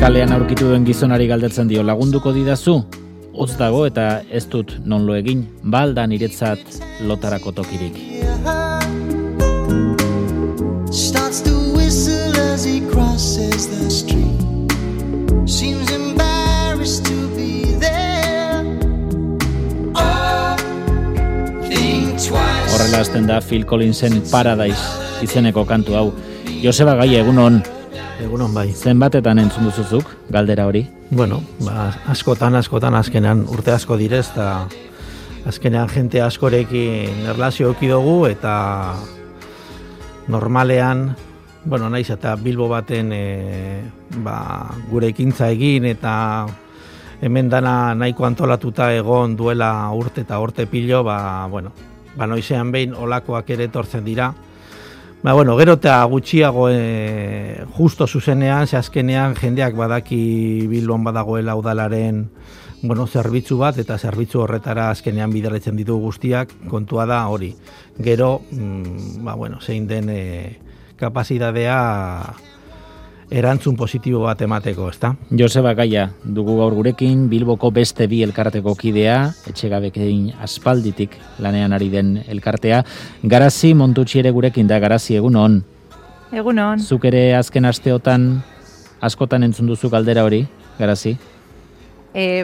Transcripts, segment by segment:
Kalean aurkitu duen gizonari galdetzen dio, lagunduko didazu? Hotz dago eta ez dut non lo egin, balda niretzat lotarako tokirik. Starts to whistle as he crosses the street. Seems embarrassed to be there. Oh, think twice. Horrela hasten da Phil Collinsen Paradise izeneko kantu hau. Joseba Gaia, egunon. Egunon bai. Zenbatetan entzun duzuzuk, galdera hori? Bueno, askotan azkenean urte asko direz, eta azkenean jente askorekin erlazio eduki dugu, eta normalean, bueno, naiz eta Bilbo baten gure ekintza egin, eta hemen dana nahiko antolatuta egon duela urte eta urte pilo, noizean behin olakoak ere etortzen dira. Gero eta gutxiago justo zuzenean, ze azkenean jendeak badaki Bilbon badagoela udalaren zerbitzu bat, eta zerbitzu horretara azkenean bideratzen ditu guztiak, kontua da hori. Gero, zein den kapazitatea erantzun positibo bat emateko, ezta? Joseba Gaia, dugu gaur gurekin, Bilboko beste bi elkarteko kidea, etxegabekein aspalditik lanean ari den elkartea. Garazi Montutxi ere gurekin da, Garazi, egunon. Egunon. Zuk ere azken asteotan askotan entzun duzu galdera hori, Garazi?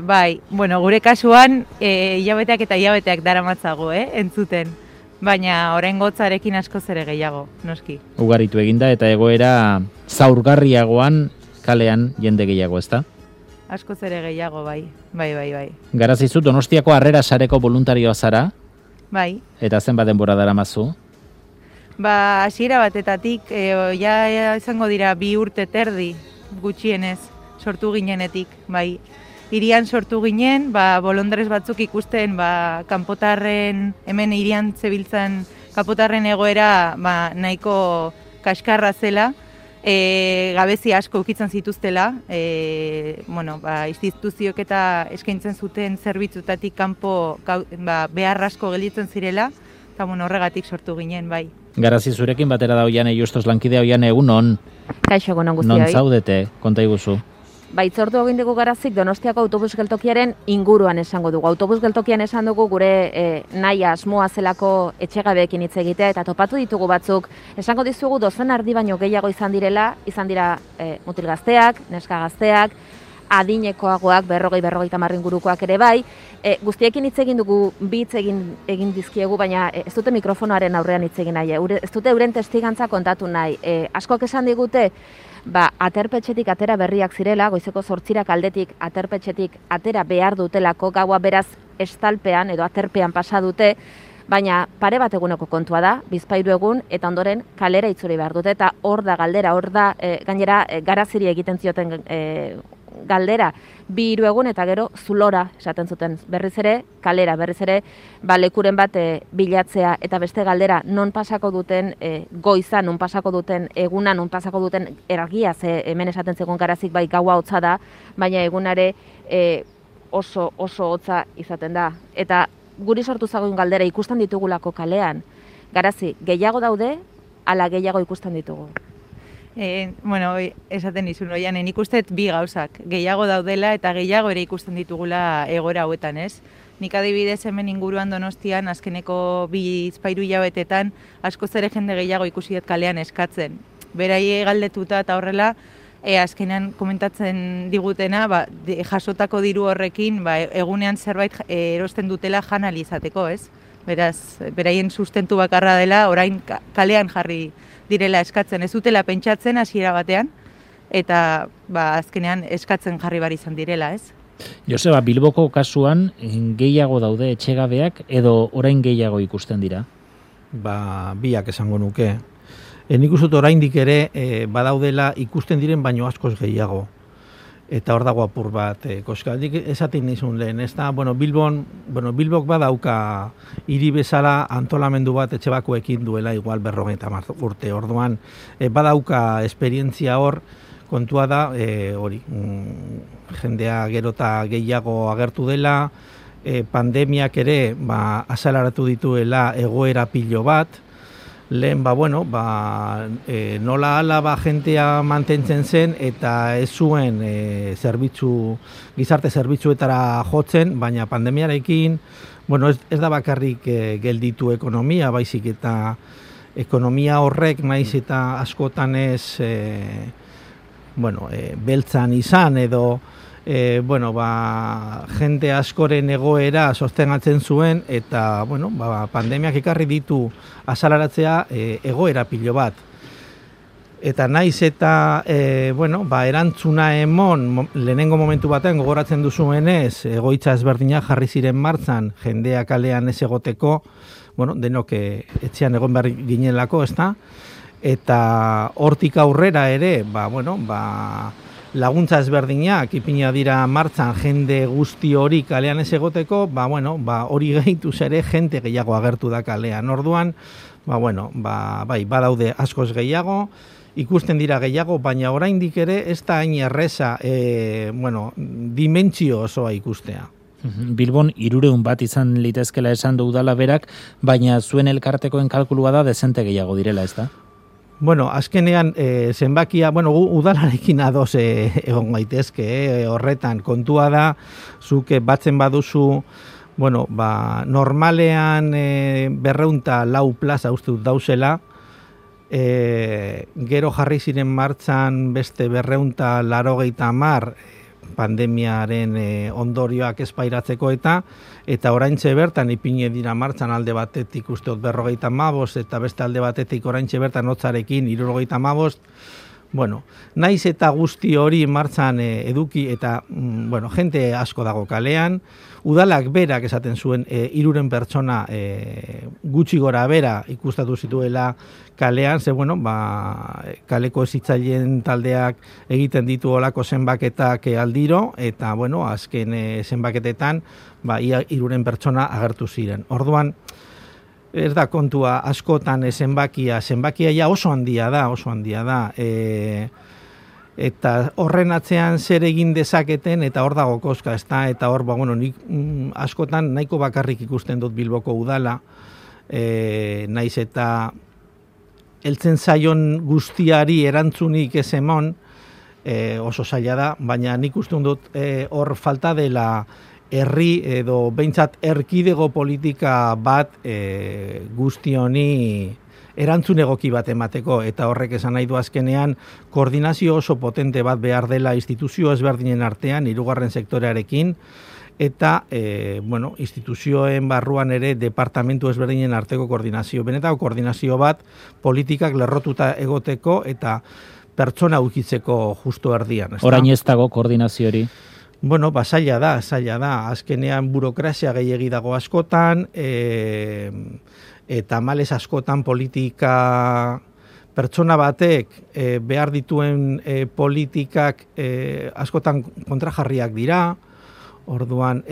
Bai, gure kasuan hilabeteak eta hilabeteak daramatzago, entzuten. Baina oraingotzarekin askoz ere gehiago, noski. Ugaritu eginda eta egoera zaurgarriagoan kalean jende gehiago, ezta? Askoz ere gehiago, bai. Bai. Garazi, zu Donostiako Harrera Sareko voluntarioa zara? Bai. Eta zenbat denbora daramazu? Hasiera batetatik, ja izango dira 2 urte terdi gutxienez sortu ginenetik, bai. Hirian sortu ginen, bolondrez batzuk ikusten, kanpotarren, hemen hirian zebiltzan kanpotarren egoera nahiko kaskarra zela, gabezi asko ukitzen zituztela, instituzioek eta eskaintzen zuten zerbitzutatik kanpo behar asko gelditzen zirela, eta horregatik sortu ginen, bai. Garazi, zurekin batera da Oiane Justos lankidea. Oiane, egunon. Kaixo, egunon guztioi. Non zaudete, konta iguzu. Itzortu egin dugu Garazik Donostiako autobus geltokiaren inguruan esango dugu. Autobus geltokian esan dugu gure nahia asmoa zelako etxegabeekin hitz egitea, eta topatu ditugu batzuk. Esango dizugu dozen erdi baino gehiago izan dira mutil gazteak, neska gazteak, adinekoagoak, 40-50 ingurukoak ere bai. Guztiekin hitz egin dugu, hitz egin dizkiegu, baina ez dute mikrofonoaren aurrean hitz egin nahi. Ez dute euren testigantza kontatu nahi. Askoak esan digute, aterpetxetik atera berriak zirela, goizeko 8 aldetik aterpetxetik atera behar dutelako, gaua beraz estalpean edo aterpean pasa dute, baina pare bat eguneko kontua da, 2 egun, eta ondoren kalera itzuri behar dute, eta hor da galdera, gainera Garaziri egiten zioten galdera, 2 egun eta gero zulora esaten zuten, berriz ere kalera, berriz ere lekuren bat bilatzea, eta beste galdera non pasako duten goiza, non pasako duten eguna, non pasako duten ergia, ze hemen esaten zegoen Garazik bai gaua hotza da, baina egunare oso hotza izaten da. Eta guri sortu zagoen galdera ikusten ditugulako kalean, Garazi, gehiago daude, ala gehiago ikusten ditugu? Esaten izun, Oianen, ikustet 2 gauzak. Gehiago daudela eta gehiago ere ikusten ditugula egoera hauetan, ez? Nik adibidez hemen inguruan Donostian, azkeneko 2-3 hilabetetan, askoz ere jende gehiago ikusi dut kalean eskatzen. Berai galdetuta eta horrela, azkenean komentatzen digutena, jasotako diru horrekin, egunean zerbait erosten dutela jan ahal izateko, ez? Beraz, beraien sustentu bakarra dela, orain kalean jarri direla eskatzen, ez dutela pentsatzen hasiera batean, eta azkenean eskatzen jarri bar izan direla, ez? Joseba, Bilboko kasuan gehiago daude etxegabeak edo orain gehiago ikusten dira? Biak esango nuke. Nik uste dut oraindik ere badaudela ikusten diren baino askoz gehiago. Eta hor dago apur bat, koskaldik esaten nizun lehen, ez da, Bilbok badauka hiri bezala antolamendu bat etxebakoekin duela igual 50 urte, orduan badauka esperientzia hor, kontua da, jendea gero eta gehiago agertu dela, pandemiak ere azalaratu dituela egoera pilo bat, lehen, nola ala jentea mantentzen zen eta ez zuen gizarte zerbitzuetara jotzen, baina pandemiarekin, ez da bakarrik gelditu ekonomia, baizik eta ekonomia horrek naiz eta askotan ez beltzan izan edo jende askoren egoera sostengatzen zuen eta pandemiak ekarri ditu azalaratzea egoera pilo bat. Eta naiz eta erantzuna emon lehenengo momentu batean gogoratzen duzuenez egoitza ezberdinak jarri ziren martzan jendea kalean ez egoteko, denok etxean egon behar ginelako, ezta? Eta hortik aurrera ere, laguntza ezberdinak ipina dira martzan jende guzti hori kalean ez egoteko, hori gehituz ere jente gehiago agertu da kalean. Orduan, badaude askoz gehiago, ikusten dira gehiago, baina oraindik ere ez da hain erreza, dimentsio osoa ikustea. Bilbon 300 bat izan litezkela esan du udala berak, baina zuen elkartekoen kalkulua da dezente gehiago direla, ez da? Azkenean zenbakia, udalarekin ados egon gaitezke, horretan kontua da, zuk batzen baduzu, normalean 204 plaza uste dut dauzela, gero jarri ziren martzan beste 280 pandemiaren ondorioak espairatzeko eta oraintxe bertan ipine dira martzan alde batetik uste dut 55 eta beste alde batetik oraintxe bertan hotzarekin 75. Naiz eta guzti hori martzan eduki eta jente asko dago kalean, udalak berak esaten zuen 300 pertsona gutxi gora bera ikustatu zituela kalean, ze kaleko ezitzaileen taldeak egiten ditu olako zenbaketak aldiro, eta azken zenbaketetan ia 300 pertsona agertu ziren. Orduan, ez da kontua askotan zenbakia ja oso handia da, eta horren atzean zer egin dezaketen eta hor dago koska, eta hor, nik askotan nahiko bakarrik ikusten dut Bilboko udala, naiz eta heltzen zaion guztiari erantzunik ez emon, oso zaila da, baina nik uste dut hor falta dela herri edo behintzat erkidego politika bat guzti honi erantzun egoki bat emateko, eta horrek esan nahi du azkenean koordinazio oso potente bat behar dela instituzio ezberdinen artean, 3. sektorearekin, eta instituzioen barruan ere departamentu ezberdinen arteko koordinazio. Benetako koordinazio bat politikak lerrotuta egoteko eta pertsona ukitzeko justo erdian. Orain ez dago koordinazio hori? Zaila da. Azkenean burokrazia gehiegi dago askotan, eta males askotan politika pertsona batek behar dituen politikak askotan kontrajarriak dira. Orduan,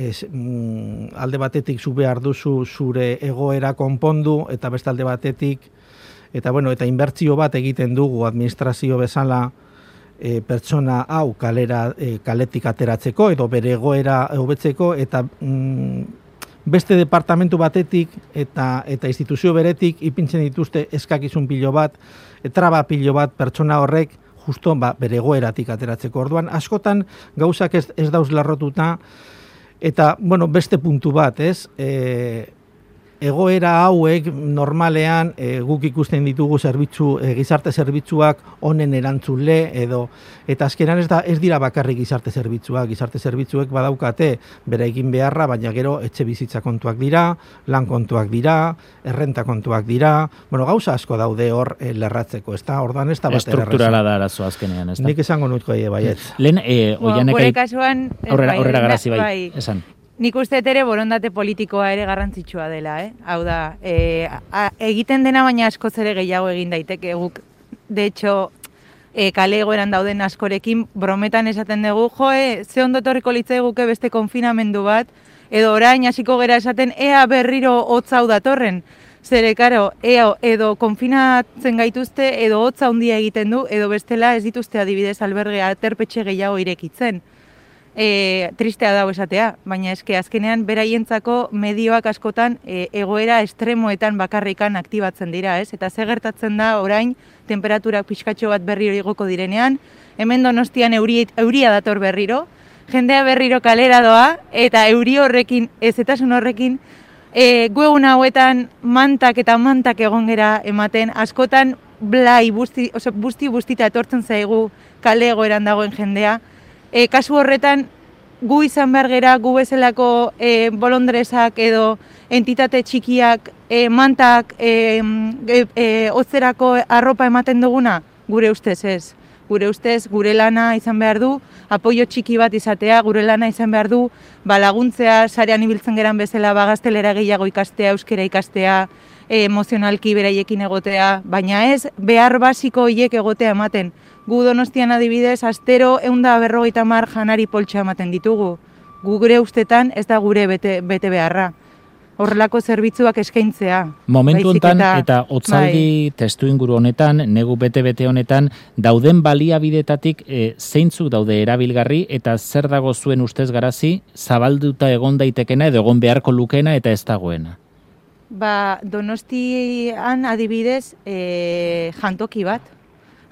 alde batetik zu behar duzu zure egoera konpondu, eta beste alde batetik, eta inbertsio bat egiten dugu administrazio bezala pertsona hau kaletik ateratzeko edo bere egoera hobetzeko, eta beste departamentu batetik eta instituzio beretik ipintzen dituzte eskakizun pilo bat, traba pilo bat pertsona horrek justo bere egoeratik ateratzeko. Orduan, askotan gauzak ez dauz larrotuta, eta beste puntu bat, ez? Egoera hauek normalean guk ikusten ditugu gizarte zerbitzuak honen erantzule eta azkenan ez dira bakarrik gizarte zerbitzuek badaukate bere egin beharra, baina gero etxe bizitza kontuak dira, lan kontuak dira, errenta kontuak dira, gauza asko daude hor lerratzeko, ez da? Orduan ez da bat erraza. Estrukturala da arazo azkenean, ez da? Nik esango nutko baietz. Lehen, gure kasuan, aurrera garazi bai, esan. Nik uste ere borondate politikoa ere garrantzitsua dela, Hau da, egiten dena baina askoz ere gehiago egin daiteke guk. De hecho, kale egoeran dauden askorekin brometan esaten dugu, ze ondo etorriko litzaiguke beste konfinamendu bat, edo orain hasiko gera esaten, ea berriro hotz hau datorren. Zere, karo, edo konfinatzen gaituzte, edo hotza handia egiten du, edo bestela ez dituzte adibidez albergea aterpetxe gehiago irekitzen. tristea dago esatea, baina eske azkenean beraientzako medioak askotan egoera estremoetan bakarrikan aktibatzen dira, ez? Eta ze gertatzen da orain temperaturak pixkatxo bat berriro igoko direnean, hemen Donostian euria dator berriro, jendea berriro kalera doa, eta euri horrekin, ezetasun horrekin, gu egun hauetan mantak egon gera ematen, askotan blai, bustita etortzen zaigu kale egoeran dagoen jendea. Kasu horretan, gu izan behar gera, gu bezalako bolondresak edo entitate txikiak, mantak, hotzerako arropa ematen duguna, gure ustez ez. Gure ustez, gure lana izan behar du, apoio txiki bat izatea, gure lana izan behar du, laguntzea, sarean ibiltzen geran bezala, gaztelera gehiago ikastea, euskera ikastea, emozionalki beraiekin egotea, baina ez behar basiko horiek egotea ematen. Gu Donostian adibidez, astero 150 janari poltsa ematen ditugu. Gure ustetan ez da gure bete beharra. Horrelako zerbitzuak eskaintzea. Momentu honetan eta hotzaldi testu inguru honetan, negu bete honetan, dauden baliabidetatik zeintzuk daude erabilgarri eta zer dago zuen ustez Garazi, zabalduta egon daitekena edo egon beharko lukeena eta ez dagoena? Donostian adibidez jantoki bat,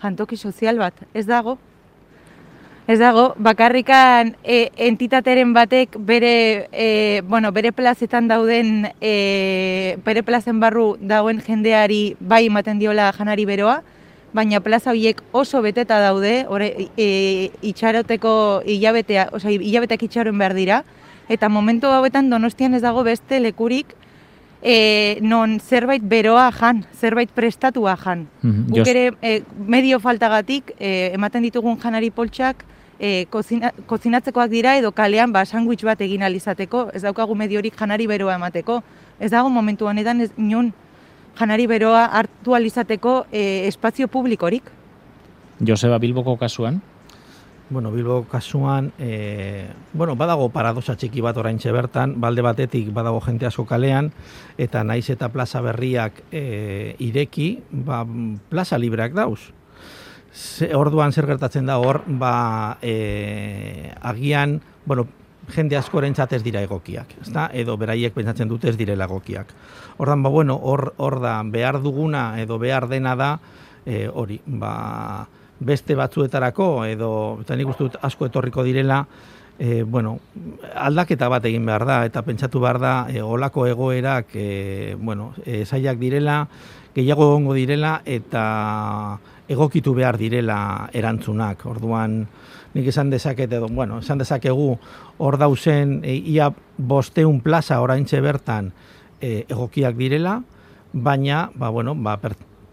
jantoki sozial bat, ez dago. Ez dago, bakarrikan entitateren batek bere plazetan dauden, bere plazen barru dauen jendeari bai ematen diola janari beroa, baina plaza horiek oso beteta daude, itxaroteko hilabeteak itxaron behar dira, eta momentu hauetan Donostian ez dago beste lekurik non zerbait beroa jan, zerbait prestatua jan. Guk ere medio faltagatik ematen ditugun janari poltsak kozinatzekoak dira edo kalean sandwich bat egin alizateko, ez daukagu mediorik janari beroa emateko. Ez dago momentu honetan inon janari beroa hartu alizateko espazio publikorik. Joseba, Bilboko kasuan? Bilboko kasuan, badago paradoxa txiki bat oraintxe bertan, balde batetik badago jente asko kalean, eta naiz eta plaza berriak ireki, plaza libreak dauz. Orduan zer gertatzen da hor, agian, jende askorentzat ez dira egokiak, ezta? Edo beraiek pentsatzen dute ez direla egokiak. Ordan hor da behar duguna edo behar dena da hori, beste batzuetarako edo eta nik uste dut asko etorriko direla, aldaketa bat egin behar da eta pentsatu behar da olako egoerak zailak direla, gehiago egongo direla eta egokitu behar direla erantzunak. Orduan nik esan dezakegu hor dauzen ia 500 plaza oraintxe bertan egokiak direla, baina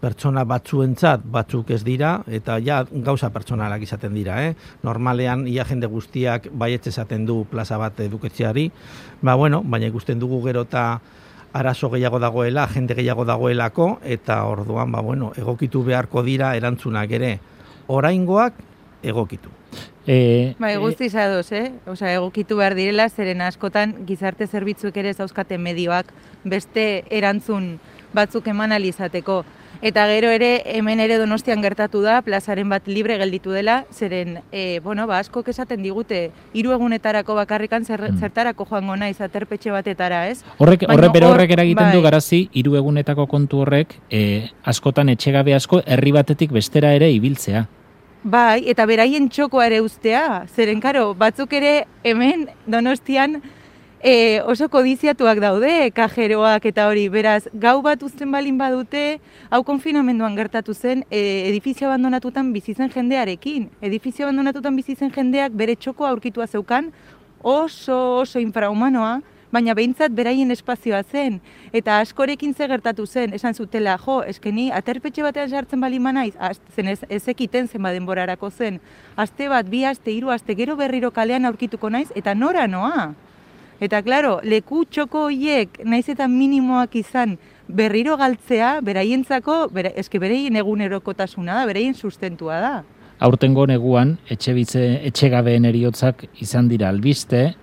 pertsona batzuentzat batzuk ez dira, eta gauza pertsonalak izaten dira. Normalean, ia jende guztiak baietz esaten du plaza bat eduketzeari, baina ikusten dugu gero eta arazo gehiago dagoela, jende gehiago dagoelako, eta orduan, egokitu beharko dira erantzunak ere. Oraingoak egokitu. Guztiz ados, egokitu behar direla, zeren askotan gizarte zerbitzuek ere zauzkate medioak beste erantzun batzuk eman alizateko. Eta gero ere, hemen ere Donostian gertatu da, plazaren bat libre gelditu dela, zeren, askok esaten digute, 3 egunetarako bakarrikan zertarako joango naiz aterpetxe batetara, ez? Horrek eragiten du Garazi, 3 egunetako kontu horrek, askotan etxegabe asko, herri batetik bestera ere ibiltzea. Bai, eta beraien txokoa ere ustea, zeren, batzuk ere hemen Donostian, oso kodiziatuak daude, kajeroak eta hori, beraz, gau bat uzten balin badute, hau konfinamenduan gertatu zen, edifizio abandonatutan bizitzen jendearekin. Edifizio abandonatutan bizitzen jendeak bere txokoa aurkitua zeukan, oso infrahumanoa, baina behintzat beraien espazioa zen. Eta askorekin ze gertatu zen, esan zutela, eskeni, aterpetxe batean sartzen balin manaiz, zen ez ekiten zen denborarako zen. Aste bat, 2 aste, 3 aste, gero berriro kalean aurkituko naiz, eta nora noa. Eta, klaro, leku txoko horiek, naiz eta minimoak izan, berriro galtzea, beraientzako, beraien egunerokotasuna da, beraien sustentua da. Aurtengo neguan, etxegabeen heriotzak izan dira albiste,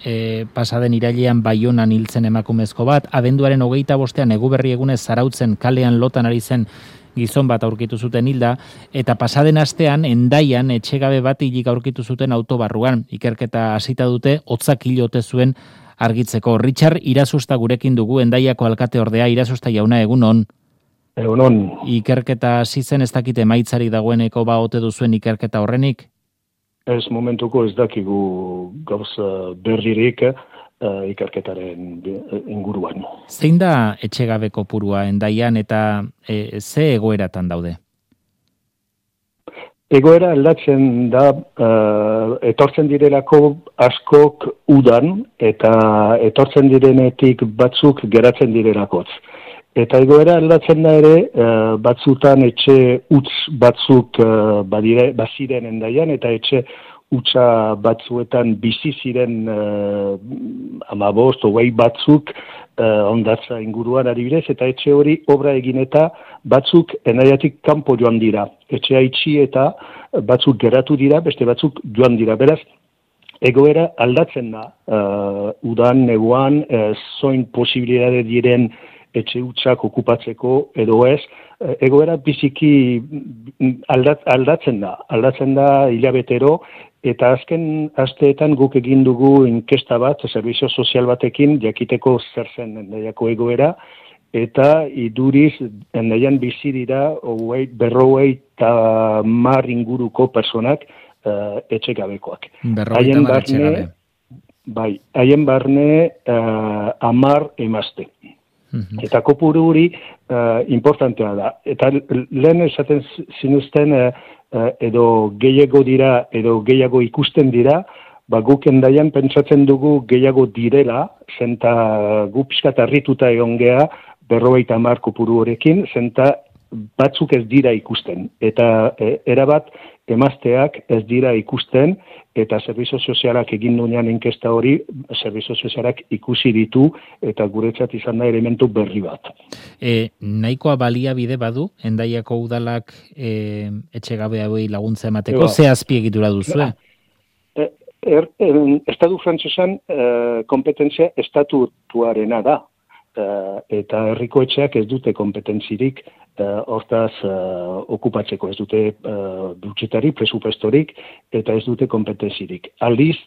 pasaden irailean Baionan hiltzen emakumezko bat, abenduaren 25ean Eguberri egunez Zarautzen kalean lotan ari zen gizon bat aurkitu zuten hilda, eta pasaden astean Hendaian etxegabe bat hilik aurkitu zuten autobarruan. Ikerketa hasita dute, hotzak hil ote zuen argitzeko. Richard Irazusta gurekin dugu, Hendaiako alkate ordea. Irazusta jauna, egunon. Egunon. Ikerketa hasi zen, ez dakite maitzarik dagoeneko ote duzuen ikerketa horrenik? Ez momentuko ez dakigu gauza berririk ikerketaren inguruan. Zein da etxegabe kopurua Hendaian eta ze egoeratan daude? Egoera aldatzen da, etortzen direlako askok udan, eta etortzen direnetik batzuk geratzen direlakotz. Eta egoera aldatzen da ere, batzutan etxe utz batzuk baziren Hendaian, eta etxe utza batzuetan bizi ziren 15-20 batzuk hondartza inguruan adibidez, eta etxe hori obra egin eta batzuk Hendaiatik kanpo joan dira. Etxea itxi eta batzuk geratu dira, beste batzuk joan dira. Beraz, egoera aldatzen da. Udan, neguan, zoin posibilitate diren etxe utzak okupatzeko edo ez, egoera biziki aldatzen da hilabetero, eta azken asteetan guk egin dugu inkesta bat, zerbizio sozial batekin, jakiteko zer zen Hendaiako egoera, eta iduriz Hendaian bizi dira 50 inguruko personak etxegabekoak. Haien barne, bai, haien barne 10 emazte. Eta kopuru hori importantea da. Eta lehen esaten zinuzten edo gehiago dira, edo gehiago ikusten dira, guk Hendaian pentsatzen dugu gehiago direla, zenta gu pixkat harrituta egon geha 50 kopuru horrekin, zenta batzuk ez dira ikusten. Eta erabat emazteak ez dira ikusten, eta zerbizio sozialak egin duenean inkesta hori, zerbizio sozialak ikusi ditu, eta guretzat izan da elementu berri bat. Nahikoa baliabide badu, Hendaiako udalak etxegabe hauei laguntza emateko, ze azpiegitura duzue? Estatu frantsesan kompetentzia estatutuarena da, eta herriko etxeak ez dute kompetentzirik hortaz okupatzeko, ez dute budgetari, presupuestorik, eta ez dute kompetentzirik. Aldiz,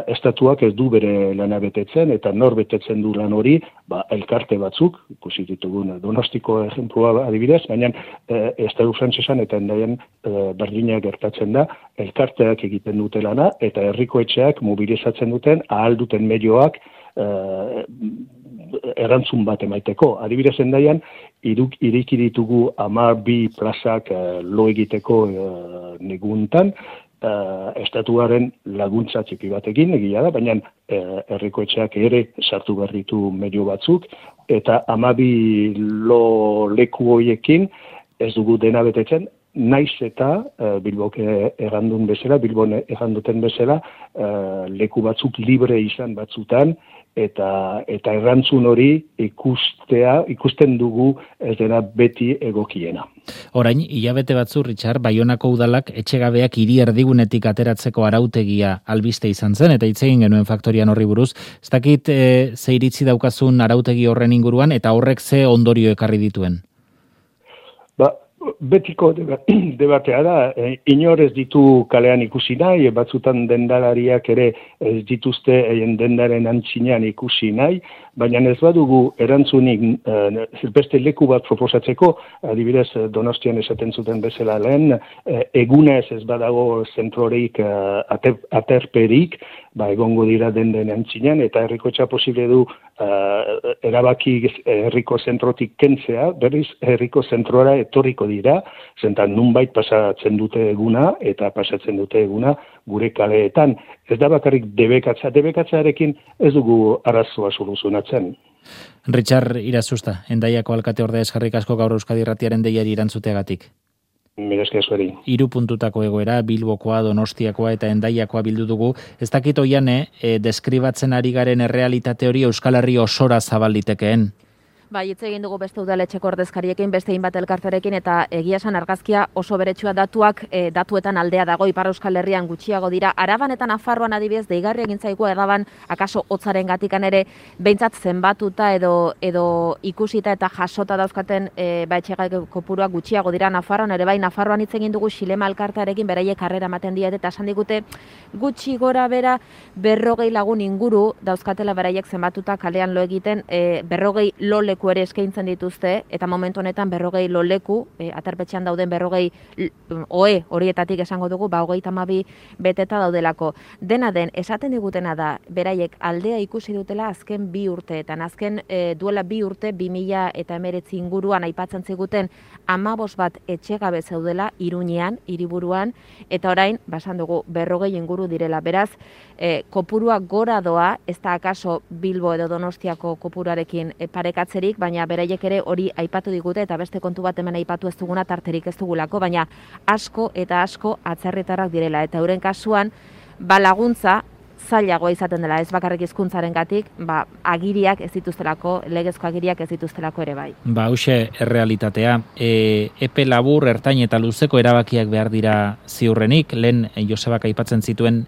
estatuak ez du bere lana betetzen, eta nor betetzen du lan hori, elkarte batzuk, ikusi ditugun Donostiko ejemplua adibidez, baina estatu frantsesan eta Hendaian berdina gertatzen da, elkarteak egiten dute lana, eta herriko etxeak mobilizatzen duten, ahal duten medioak erantzun bat emaiteko. Adibidez Hendaian, iriki ditugu 12 plazak lo egiteko neguntan, estatuaren laguntza txipi batekin egia da, baina herriko etxeak ere sartu behar ditu medio batzuk, eta 12 lo leku horiekin ez dugu dena betetzen, naiz eta Bilbon erranduten bezala leku batzuk libre izan batzutan, eta errantzun hori ikusten dugu ez dena beti egokiena. Orain, hilabete batzu, Richard, Baionako udalak etxegabeak hiri erdigunetik ateratzeko arautegia albiste izan zen, eta hitz egin genuen faktorian horri buruz. Ez dakit ze iritzi daukazun arautegi horren inguruan, eta horrek ze ondorio ekarri dituen? Betiko debatea da, inor ez ditu kalean ikusi nahi, batzutan dendalariak ere ez dituzte dendaren antzinean ikusi nahi, baina ez badugu erantzunik beste leku bat proposatzeko, adibidez Donostian esaten zuten bezala lehen, egunez ez badago zentrorik aterperik, egongo dira den antzinean, eta herrikotxa posible du erabaki herriko zentrotik kentzea, berriz herriko zentrora etorriko dira, zentan nunbait pasatzen dute eguna, eta pasatzen dute eguna gure kaleetan. Ez da bakarrik debekatzarekin ez dugu arazoa soluzionatzen. Richard Irazusta, Hendaiako alkate ordea eskerrik asko gaur Euskadi Irratiaren deiari erantzuteagatik. Mila esker zueri. 3 puntutako egoera, Bilbokoa, Donostiakoa eta Hendaiakoa bildu dugu. Ez dakit oian, deskribatzen ari garen errealitate hori Euskal Herri osora zabal litekeen. Bai, hitz egin dugu beste udaletxeko ordezkariekin, beste hainbat elkarterekin, eta egia esan argazkia oso beretsua datuak datuetan aldea dago Ipar Euskal Herrian gutxiago dira. Araban eta Nafarroan adibidez, deigarri egin zaigu Araban akaso hotzaren gatikan ere, behintzat zenbatuta edo ikusita eta jasota dauzkaten etxegabe kopuruak gutxiago dira Nafarroan ere bai. Nafarroan hitz egin dugu Xilema elkartearekin, beraiek harrera ematen diete eta esan digute gutxi gora bera 40 lagun inguru dauzkatela beraiek zenbatuta kalean lo egiten, 40 lo leku ere eskaintzen dituzte, eta momentu honetan 40 lo leku, aterpetxean dauden 40 oe horietatik esango dugu, 32 beteta daudelako. Dena den, esaten digutena da, beraiek aldea ikusi dutela azken 2 urteetan. Azken duela 2 urte, 2019 inguruan aipatzen ziguten 15 bat etxegabe zeudela Iruñean, hiriburuan, eta orain, basan dugu, 40 inguru direla. Beraz, kopurua gora doa, ez da akaso Bilbo edo Donostiako kopuruarekin parekatzerik, baina beraiek ere hori aipatu digute, eta beste kontu bat hemen aipatu ez duguna tarterik ez dugulako, baina asko eta asko atzerritarrak direla, eta euren kasuan, laguntza zailagoa izaten dela, ez bakarrik hizkuntzarengatik, agiriak ez dituztelako, legezko agiriak ez dituztelako ere bai. Hauxe errealitatea, epe labur, ertain eta luzeko erabakiak behar dira ziurrenik, lehen Josebak aipatzen zituen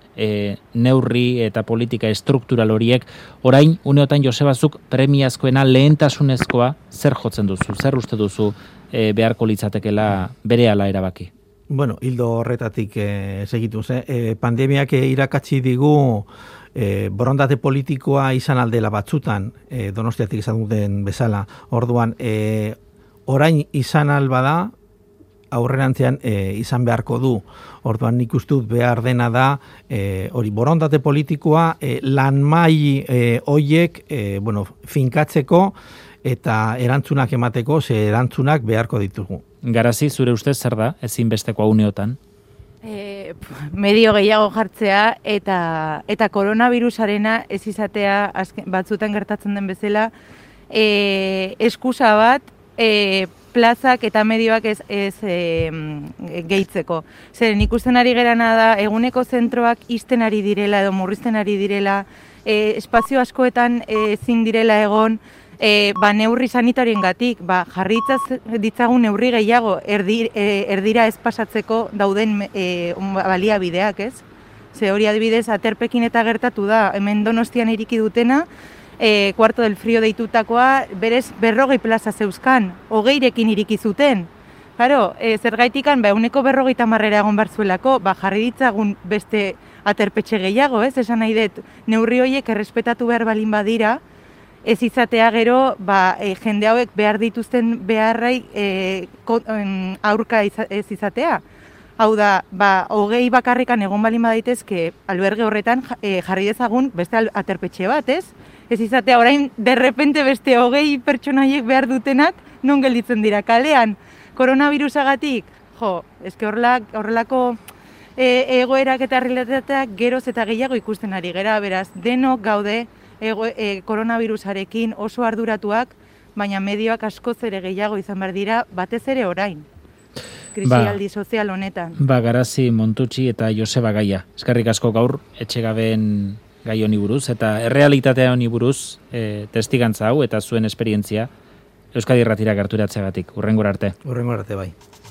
neurri eta politika estruktural horiek, orain, uneotan Josebazuk premiazkoena lehentasunezkoa zer jotzen duzu, zer uste duzu beharko litzatekela berehala erabaki? Bueno, hildo horretatik segituz, pandemiak irakatsi digu borondate politikoa izan aldela batzutan, Donostiatik izan duten bezala. Orduan, orain izan albada, aurrerantzean izan beharko du. Orduan nik uste dut behar dena da, hori borondate politikoa lanmai hoiek finkatzeko eta erantzunak emateko, ze erantzunak beharko ditugu. Garazi, zure ustez zer da, ezinbesteko uneotan? Medio gehiago jartzea eta koronavirusarena ez izatea batzutan gertatzen den bezala eskusa bat plazak eta medioak ez gehitzeko. Zeren ikusten ari gerana da eguneko zentroak ixten ari direla edo murrizten ari direla, espazio askoetan ezin direla egon, neurri sanitarioengatik, jarritzaz ditzagun neurri gehiago erdira ez pasatzeko dauden baliabideak, ez? Ze hori adibidez aterpekin eta gertatu da, hemen Donostian iriki dutena, Cuarto del Frío deitutakoa, berez 40 plaza zeuzkan, 20rekin iriki zuten. Claro, zergaitikan, eguneko 50 egon barzuelako, jarri ditzagun beste aterpetxe gehiago, ez? Esan nahi dut, neurri horiek errespetatu behar balin badira, ez izatea gero, jende hauek behar dituzten beharrai aurka ez izatea. Hau da, 20 bakarrikan egon balin badaitezke alberge horretan jarri dezagun beste aterpetxe bat, ez? Ez izatea orain derrepente beste 20 pertsonaiek behar dutenak non gelditzen dira kalean. Koronavirusagatik, eske horrelako egoerak eta realitateak geroz eta gehiago ikusten ari gera, beraz, denok gaude koronavirusarekin oso arduratuak, baina medioak askoz ere gehiago izan behar dira, batez ere orain, krisialdi sozial honetan. Garazi, Montutxi eta Joseba Gaia. Eskerrik asko gaur, etxegabeen gai honi buruz, eta errealitatea honi buruz, testigantza hau eta zuen esperientzia, Euskadi Irratira gerturatzeagatik. Hurrengora arte. Hurrengora arte, bai.